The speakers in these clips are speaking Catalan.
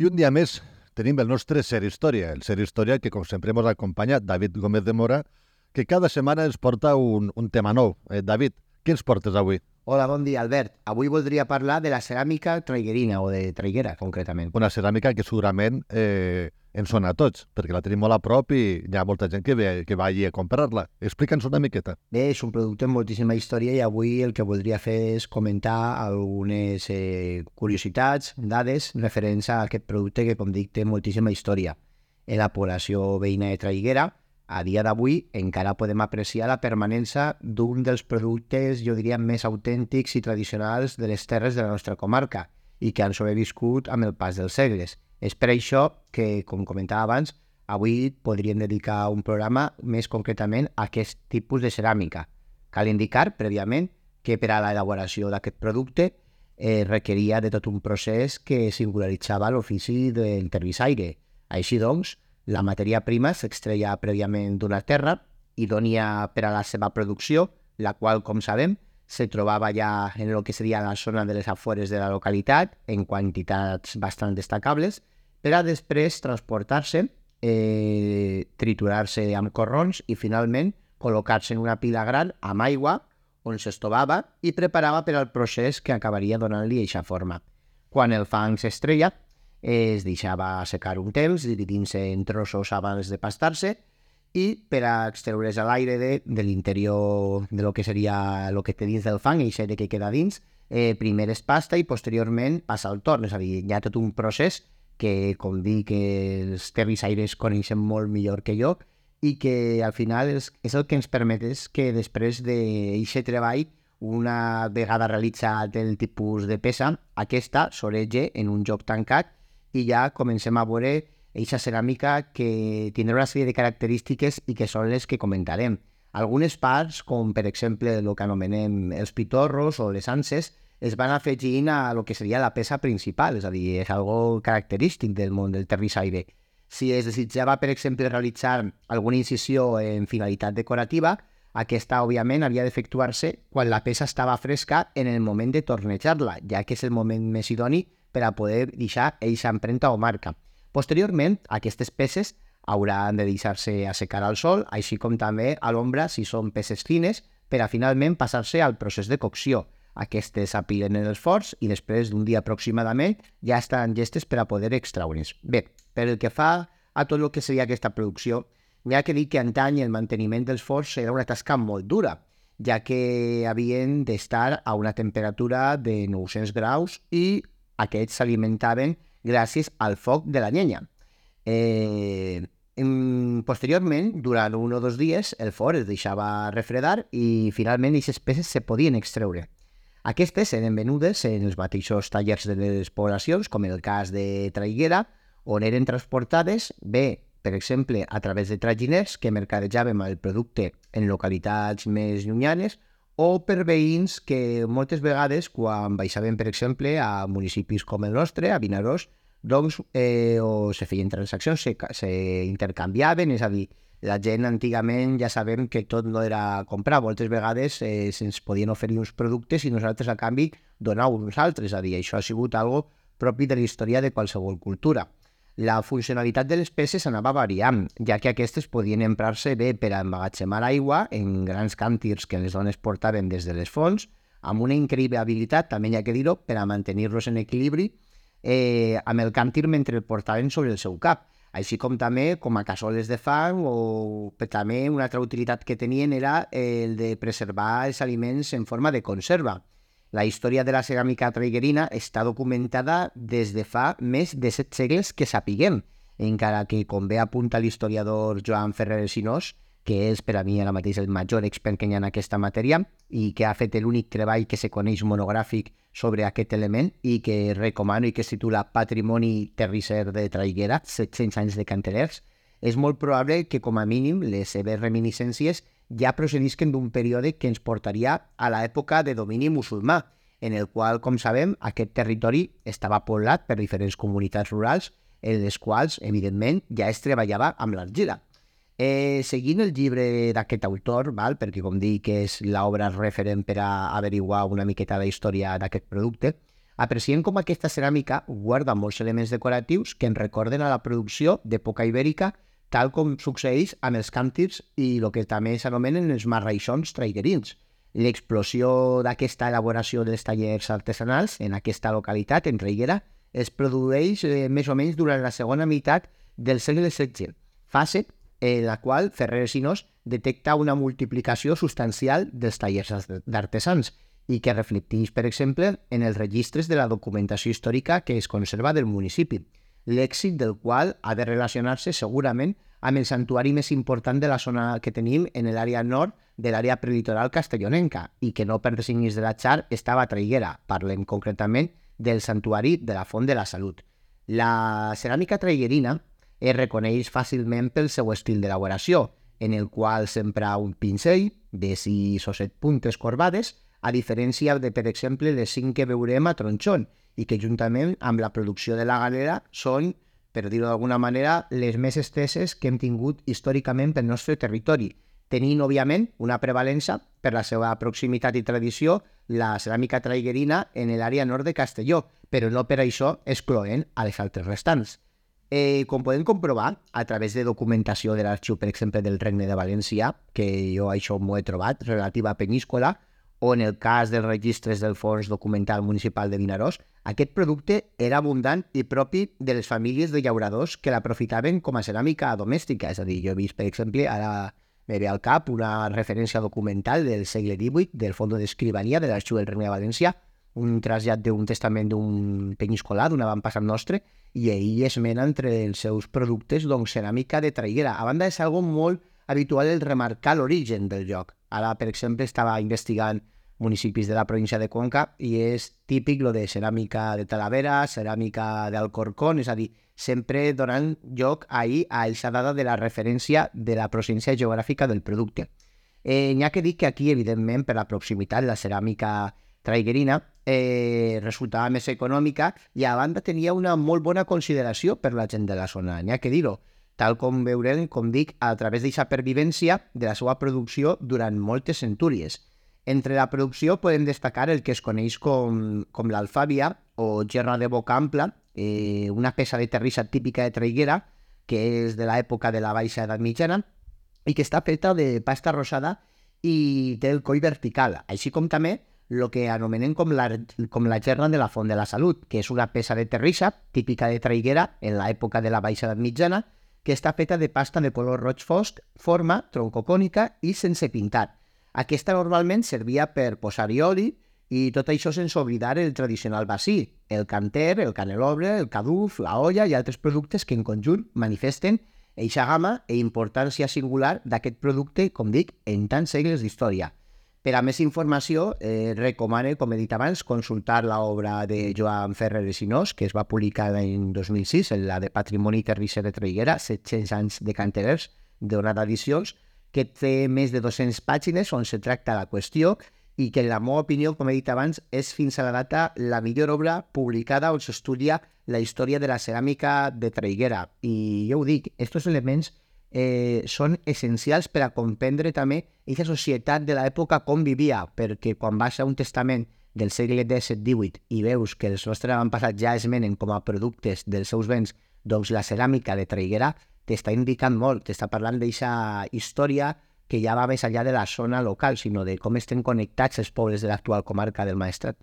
I un dia més tenim el nostre Ser Història, el Ser Història que, com sempre, ens acompanya David Gómez de Mora, que cada setmana ens porta un tema nou. David, què ens portes avui? Hola, bon dia, Albert. Avui voldria parlar de la ceràmica traiguerina, o de traiguera, concretament. Una ceràmica que segurament ens sona a tots, perquè la tenim molt a prop i hi ha molta gent que va allí a comprar-la. Explica'ns una miqueta. Bé, és un producte amb moltíssima història i avui el que voldria fer és comentar algunes curiositats, dades referents a aquest producte que, com dic, té moltíssima història. En la població veïna de Traiguera, a dia d'avui encara podem apreciar la permanència d'un dels productes, jo diria, més autèntics i tradicionals de les terres de la nostra comarca i que han sobreviscut amb el pas dels segles. És per això que, com comentava abans, avui podríem dedicar un programa més concretament a aquest tipus de ceràmica. Cal indicar, prèviament, que per a l'elaboració d'aquest producte requeria de tot un procés que singularitzava l'ofici del terrissaire. Així doncs, la matèria prima s'extreia prèviament d'una terra idònia per a la seva producció, la qual, com sabem, se trobava ja en el que seria la zona de les afores de la localitat, en quantitats bastant destacables, per a després transportar-se, triturar-se amb corrons i finalment col·locar-se en una pila gran amb aigua on s'estovava i preparava per al procés que acabaria donant-li eixa forma. Quan el fang s'estreia, es deixava secar un temps, dividint-se en trossos abans de pastar-se, i per a extreure's a l'aire de l'interior de lo que seria el que té dins del fang, i aire que queda dins, primer es pasta i posteriorment passa al torn. És a dir, hi ha tot un procés que, com dic, els terrissaires coneixen molt millor que jo i que al final és el que ens permet que després d'aquest treball, una vegada realitzat el tipus de peça, aquesta s'orege en un joc tancat i ja comencem a veure aquesta ceràmica que tindrà una sèrie de característiques i que són les que comentarem. Algunes parts, com per exemple el que anomenem els pitorros o les anses, es van afegint a lo que seria la peça principal, és a dir, és algo característic del món del terrissaire. Si es desitjava, per exemple, realitzar alguna incisió en finalitat decorativa, aquesta, òbviament, havia d'efectuar-se quan la peça estava fresca en el moment de tornejar-la, ja que és el moment més idoni per a poder deixar eixa empremta o marca. Posteriorment, aquestes peces hauran de deixar-se a secar al sol, així com també a l'ombra si són peces fines, per a finalment passar-se al procés de cocció. Aquestes s'apilen en els forns i després d'un dia aproximadament ja estan llestes per a poder extraure's. Bé, pel que fa a tot el que seria aquesta producció, n'hi ha que dir que antany el manteniment dels forns era una tasca molt dura, ja que havien d'estar a una temperatura de 900 graus i aquests s'alimentaven gràcies al foc de la llenya. Posteriorment, durant 1 o 2 dies, el forn es deixava refredar i finalment aquestes peces se podien extreure. Aquestes eren venudes en els mateixos tallers de les poblacions, com en el cas de Traiguera, on eren transportades, bé, per exemple, a través de traginers que mercadejàvem el producte en localitats més llunyanes, o per veïns que moltes vegades, quan baixaven, per exemple, a municipis com el nostre, a Vinaròs, doncs, o se feien transaccions, se intercanviaven, és a dir, la gent antigament ja sabem que tot no era comprar, moltes vegades se'ns podien oferir uns productes i nosaltres a canvi donàvem uns altres, és a dir, això ha sigut algo propi de la història de qualsevol cultura. La funcionalitat de les peces anava variant, ja que aquestes podien emprar-se bé per a emmagatzemar aigua en grans càntirs que les dones portaven des de les fonts, amb una increïble habilitat, també hi ha que dir-ho, per a mantenir-los en equilibri amb el càntir mentre el portaven sobre el seu cap, així com també com a cassoles de fang, o també una altra utilitat que tenien era el de preservar els aliments en forma de conserva. La història de la ceràmica traiguerina està documentada des de fa més de 7 segles que sapiguem, encara que, com bé apunta l'historiador Joan Ferrer Sinós, que és per a mi ara mateix el major expert que hi ha en aquesta matèria i que ha fet l'únic treball que se coneix monogràfic sobre aquest element i que recomano i que es titula Patrimoni terrisser de Traiguera, 700 anys de cantelers, és molt probable que, com a mínim, les seves reminiscències ja procedisquen d'un període que ens portaria a l'època de domini musulmà, en el qual, com sabem, aquest territori estava poblat per diferents comunitats rurals, en les quals, evidentment, ja es treballava amb l'argila. Seguint el llibre d'aquest autor, perquè com dic és l'obra referent per a averiguar una miqueta la història d'aquest producte, Apreciem com aquesta ceràmica guarda molts elements decoratius que ens recorden a la producció d'època ibèrica, tal com succeeix amb els càntirs i el que també s'anomenen els marraixons traiguerins. L'explosió d'aquesta elaboració dels tallers artesanals en aquesta localitat, en Traiguera, es produeix més o menys durant la segona meitat del segle XVI, fase en la qual Ferrer Sinós detecta una multiplicació substancial dels tallers d'artesans i que reflecteix, per exemple, en els registres de la documentació històrica que es conserva del municipi, l'èxit del qual ha de relacionar-se segurament amb el santuari més important de la zona que tenim en l'àrea nord de l'àrea prelitoral castellonenca i que no per designis de l'atzar estava a Traiguera. Parlem concretament del santuari de la Font de la Salut. La ceràmica traiguerina es reconeix fàcilment pel seu estil d'elaboració, en el qual s'empra un pincell de 6 o 7 puntes corbades, a diferència de, per exemple, les 5 que veurem a Tronchón, i que juntament amb la producció de la galera són, per dir-ho d'alguna manera, les més esteses que hem tingut històricament pel nostre territori, tenint, òbviament, una prevalença per la seva proximitat i tradició la ceràmica traiguerina en l'àrea nord de Castelló, però no per això excloent a les altres restants. Com podem comprovar, a través de documentació de l'arxiu, per exemple, del Regne de València, que jo això m'ho he trobat, relativa a Peníscola, o en el cas dels registres del Fons Documental Municipal de Vinaròs, aquest producte era abundant i propi de les famílies de llauradors que l'aprofitaven com a ceràmica domèstica. És a dir, jo he vist, per exemple, ara me ve al cap una referència documental del segle XVIII del Fons d'Escrivania de l'Arxiu del Regne de València, un trasllat d'un testament d'un penyiscolà, d'un avantpassat nostre, i ell esmena entre els seus productes ceràmica de Traiguera. A banda, és algo molt habitual el remarcar l'origen del lloc. Ara, per exemple, estava investigant municipis de la província de Cuenca i és típic lo de ceràmica de Talavera, ceràmica d'Alcorcón, és a dir, sempre donant lloc a aquesta dada de la referència de la procedència geogràfica del producte. N'hi ha que dir que aquí, evidentment, per la proximitat, la ceràmica traiguerina resultava més econòmica i a banda tenia una molt bona consideració per la gent de la zona, n'hi ha que dir-ho, tal com veurem, com dic, a través d'aquesta pervivència de la seva producció durant moltes centúries. Entre la producció podem destacar el que es coneix com l'alfàbia o gerra de boca ampla, una peça de terrissa típica de Traiguera, que és de l'època de la Baixa Edat Mitjana, i que està feta de pasta rosada i té el coll vertical, així com també el que anomenem com la gerra de la Font de la Salut, que és una peça de terrissa típica de Traiguera en l'època de la Baixa Edat Mitjana, que està feta de pasta de color roig fosc, forma troncocònica i sense pintar. Aquesta normalment servia per posar-hi oli i tot això sense oblidar el tradicional bací, el canter, el canelobre, el caduf, la olla i altres productes que en conjunt manifesten eixa gamma i importància singular d'aquest producte, com dic, en tants segles d'història. Per a més informació, recomano, com he dit abans, consultar l'obra de Joan Ferrer i Sinós, que es va publicar l'any 2006, la de Patrimoni Terrisser de Traiguera, 700 anys de canterers, d'Onada Edicions, que té més de 200 pàgines on se tracta la qüestió i que, en la meva opinió, com he dit abans, és fins a la data la millor obra publicada on s'estudia la història de la ceràmica de Traiguera. I jo ho dic, aquests elements són essencials per a comprendre també aquesta societat de l'època com vivia, perquè quan vas a un testament del segle XVII-XVIII i veus que els nostres avantpassats ja esmenen com a productes dels seus béns doncs la ceràmica de Traiguera, t'està indicant molt, t'està parlant d'aquesta història que ja va més enllà de la zona local, sinó de com estem connectats els pobles de l'actual comarca del Maestrat.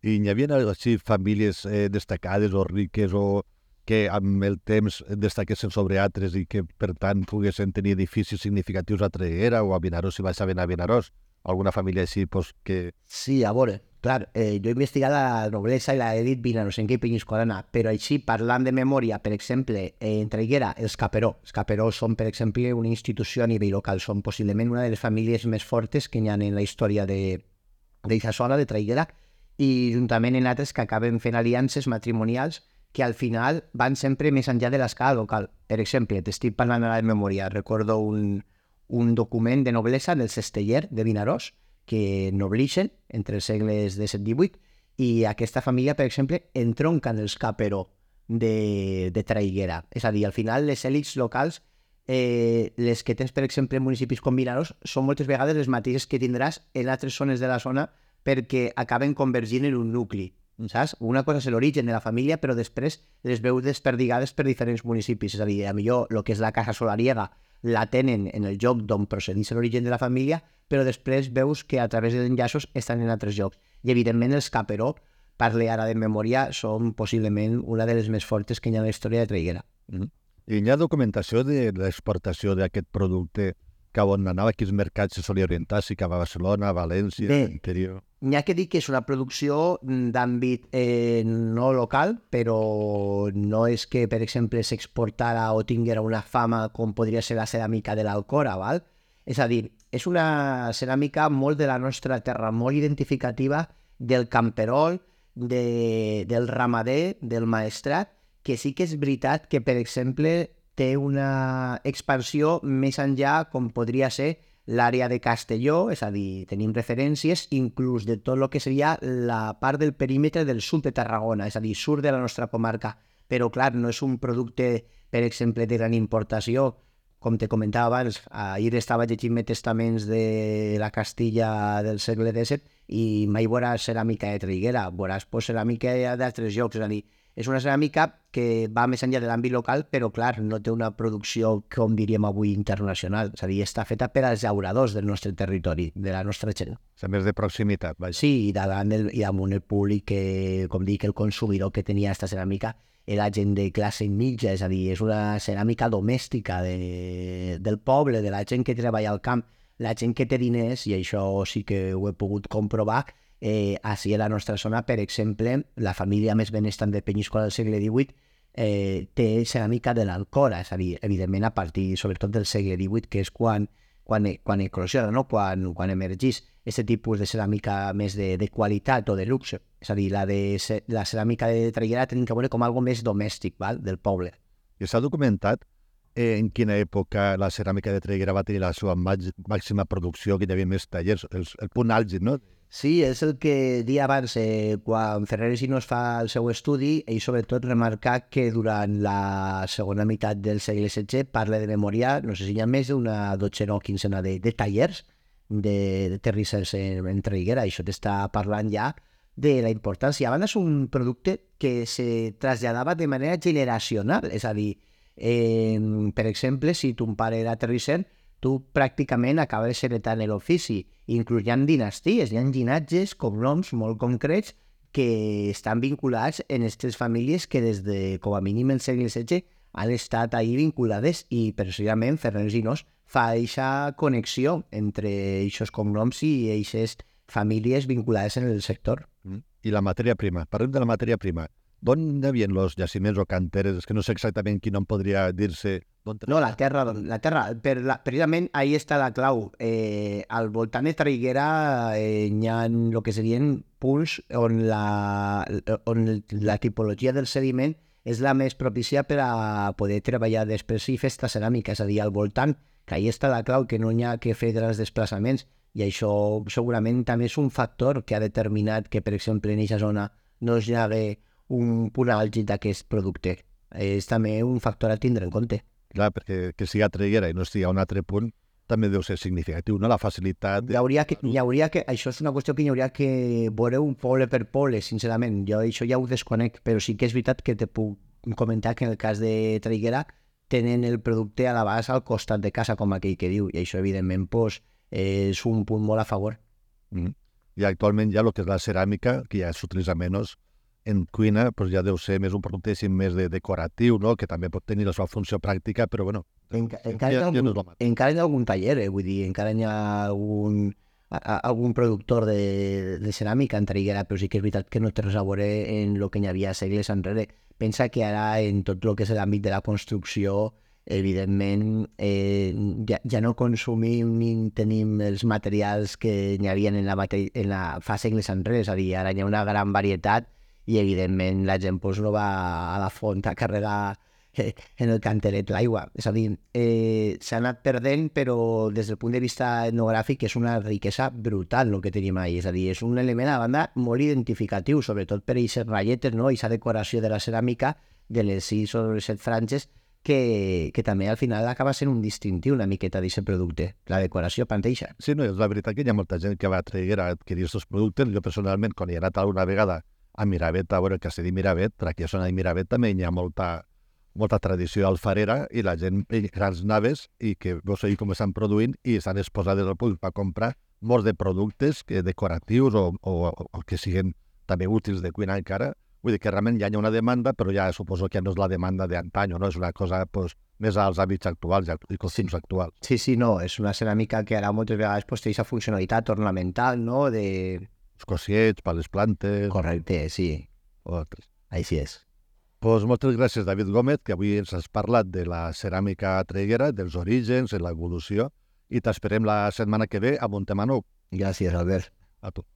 I hi havia així famílies destacades o riques o que amb el temps destaquessin sobre altres i que, per tant, poguessin tenir edificis significatius a Traiguera o a Vinaròs si baixaven a Vinaròs? Alguna família així que... Sí, a veure, clar, jo he investigat la noblesa i l'elit vinaròsenca i penyiscolana, però així, parlant de memòria, per exemple, en Traiguera, els Caperó. Els Caperó són, per exemple, una institució a nivell local, són possiblement una de les famílies més fortes que hi ha en la història d'aquesta zona de Traiguera i juntament en altres que acaben fent aliances matrimonials que al final van sempre més enllà de l'escala local. Per exemple, t'estic parlant ara de memòria, recordo un document de noblesa del Cesteller de Vinaròs que noblixen entre els segles XVII-XVIII i aquesta família, per exemple, entronca en els Caperó de Traiguera. És a dir, al final les èlits locals, les que tens, per exemple, en municipis com Vinaròs, són moltes vegades les mateixes que tindràs en altres zones de la zona perquè acaben convergint en un nucli. saps? Una cosa és l'origen de la família, però després les veus desperdigades per diferents municipis. És a dir, a millor el que és la casa solariega la tenen en el lloc d'on procedís l'origen de la família, però després veus que a través dels enllaços estan en altres llocs. I, evidentment, els Caperó, parle ara de memòria, són possiblement una de les més fortes que hi ha en la història de Traiguera. I hi ha documentació de l'exportació d'aquest producte cap on anava, a quins mercats se solia orientar, si cap a Barcelona, a València, a l'interior? N'hi ha que dir que és una producció d'àmbit no local, però no és que, per exemple, s'exportara o tinguera una fama com podria ser la ceràmica de l'Alcora, val? És a dir, és una ceràmica molt de la nostra terra, molt identificativa del camperol, del ramader, del maestrat, que sí que és veritat que, per exemple, té una expansió més enllà com podria ser l'àrea de Castelló, és a dir, tenim referències inclús de tot el que seria la part del perímetre del sud de Tarragona, és a dir, surt de la nostra comarca, però clar, no és un producte, per exemple, de gran importació. Com te comentava abans, ahir estava llegint testaments de la Castilla del segle XVII i mai veuràs ceràmica de Traiguera, veuràs ceràmica d'altres llocs, és a dir, és una ceràmica que va més enllà de l'àmbit local, però, clar, no té una producció, com diríem avui, internacional. És a dir, està feta per als llauradors del nostre territori, de la nostra gent. És més de proximitat, vaja. Sí, i damunt el públic, que, com dic, el consumidor que tenia aquesta ceràmica era gent de classe mitja, és a dir, és una ceràmica domèstica del poble, de la gent que treballa al camp, la gent que té diners, i això sí que ho he pogut comprovar. Així a la nostra zona, per exemple, la família més benestant de Penyíscola del segle XVIII té ceràmica de l'Alcora, és a dir, evidentment a partir sobretot del segle XVIII, que és quan eclosiona, no? quan emergís aquest tipus de ceràmica més de qualitat o de luxe. És a dir, la ceràmica de Traiguera tenim que veure com algo més domèstic, val? Del poble. I s'ha documentat en quina època la ceràmica de Traiguera va tenir la seva màxima producció, que hi havia més tallers, el punt àlgid, no? Sí, és el que dia abans, quan Ferrer i Ginos fa el seu estudi, ell sobretot remarca que durant la segona meitat del segle XVI parla de memòria, no sé si hi ha més d'una dotzena o quinzena de tallers de terrissers en Traiguera. Això t'està parlant ja de la importància. A banda, és un producte que se traslladava de manera generacional, és a dir, per exemple, si ton pare era terrisser, tu pràcticament acabes heretant l'ofici. Inclús hi ha dinasties, hi ha llinatges, cognoms molt concrets que estan vinculats en aquestes famílies que des de, com a mínim, el segle XVI han estat ahí vinculades, i precisament Ferrer Ginos fa aquesta connexió entre aquests cognoms i aquestes famílies vinculades en el sector. I la matèria prima. Parlem de la matèria prima. D'on hi havia els jaciments o canteres? És que no sé exactament quin nom podria dir-se. No, la terra, precisament ahí està la clau. Al voltant de Traiguera hi ha el que serien punts on la tipologia del sediment és la més propícia per a poder treballar després i fer esta ceràmica, és a dir, al voltant, que ahí està la clau, que no hi ha que fer grans desplaçaments, i això segurament també és un factor que ha determinat que, per exemple, en aquesta zona no hi hagi un punt àlgid d'aquest producte. És també un factor a tindre en compte. Clar, perquè que sigui a Traiguera i no estigui a un altre punt també deu ser significatiu, no? La facilitat... Hi hauria que, això és una qüestió que hi hauria que veure un poble per poble, sincerament. Jo això ja ho desconec, però sí que és veritat que te puc comentar que en el cas de Traiguera tenen el producte a l'abast al costat de casa, com aquell que diu, i això, evidentment, pues, és un punt molt a favor. I actualment ja el que és la ceràmica, que ja s'utilitza menys en cuina, doncs ja deu ser més un producte més decoratiu, no? Que també pot tenir la seva funció pràctica, però bueno... Encara hi ha algun taller, vull dir, encara hi ha algun productor de ceràmica en Traiguera, però sí que és veritat que no té res a veure en el que hi havia segles enrere. Pensa que ara en tot el que és l'àmbit de la construcció, evidentment, ja no consumim ni tenim els materials que hi havia fa segles enrere, és a dir, ara hi ha una gran varietat i, evidentment, la gent no va a la font a carregar en el canteret l'aigua. És a dir, s'ha anat perdent, però des del punt de vista etnogràfic és una riquesa brutal el que tenim ahí. És a dir, és un element a banda molt identificatiu, sobretot per aquestes ratlletes, no? Aquesta decoració de la ceràmica de les 6 o les 7 franges que també al final acaba sent un distintiu una miqueta d'aquest producte, la decoració panteixa. Sí, no, és la veritat que hi ha molta gent que va a Traiguera a adquirir aquests productes. Jo personalment, quan hi he anat alguna vegada a Miravet, a veure, el castell de Miravet, per aquí a zona de Miravet també hi ha molta tradició alfarera i la gent, grans naves, i que veus ahir com estan produint i estan exposades al públic per comprar molts de productes decoratius o que siguin també útils de cuinar encara. Vull dir que realment ja hi ha una demanda, però ja suposo que ja no és la demanda d'antany, no? És una cosa més als hàbits actuals i costums actuals. Sí, no, és una ceràmica que ara moltes vegades té aquesta funcionalitat ornamental, no? Els cosiets, per les plantes... Correcte, sí. O altres. Així és. Pues moltes gràcies, David Gómez, que avui ens has parlat de la ceràmica traiguera, dels orígens, de l'evolució, i t'esperem la setmana que ve amb un tema nou. Gràcies, Albert. A tu.